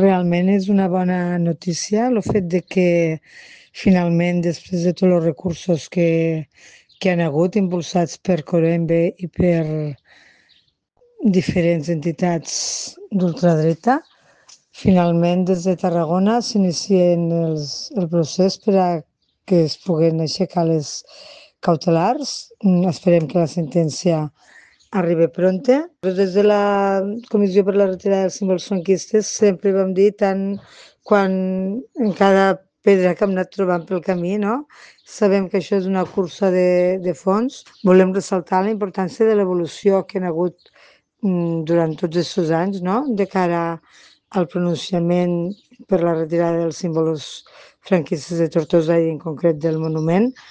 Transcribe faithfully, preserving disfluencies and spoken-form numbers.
Realment és una bona notícia el fet de que finalment, després de tots els recursos que, que han hagut impulsats per Corembe i per diferents entitats d'ultradreta, finalment des de Tarragona s'inicien els, el procés per a que es puguen aixecar les cautelars. Mm, Esperem que la sentència arribi pronta. Des de la Comissió per la Retirada dels Símbols Franquistes sempre vam dir, tant quan en cada pedra que hem anat trobant pel camí, no? Sabem que això és una cursa de, de fons. Volem ressaltar la importància de l'evolució que han hagut mm, durant tots aquests anys, no? De cara al pronunciament per la retirada dels símbols franquistes de Tortosa i en concret del monument.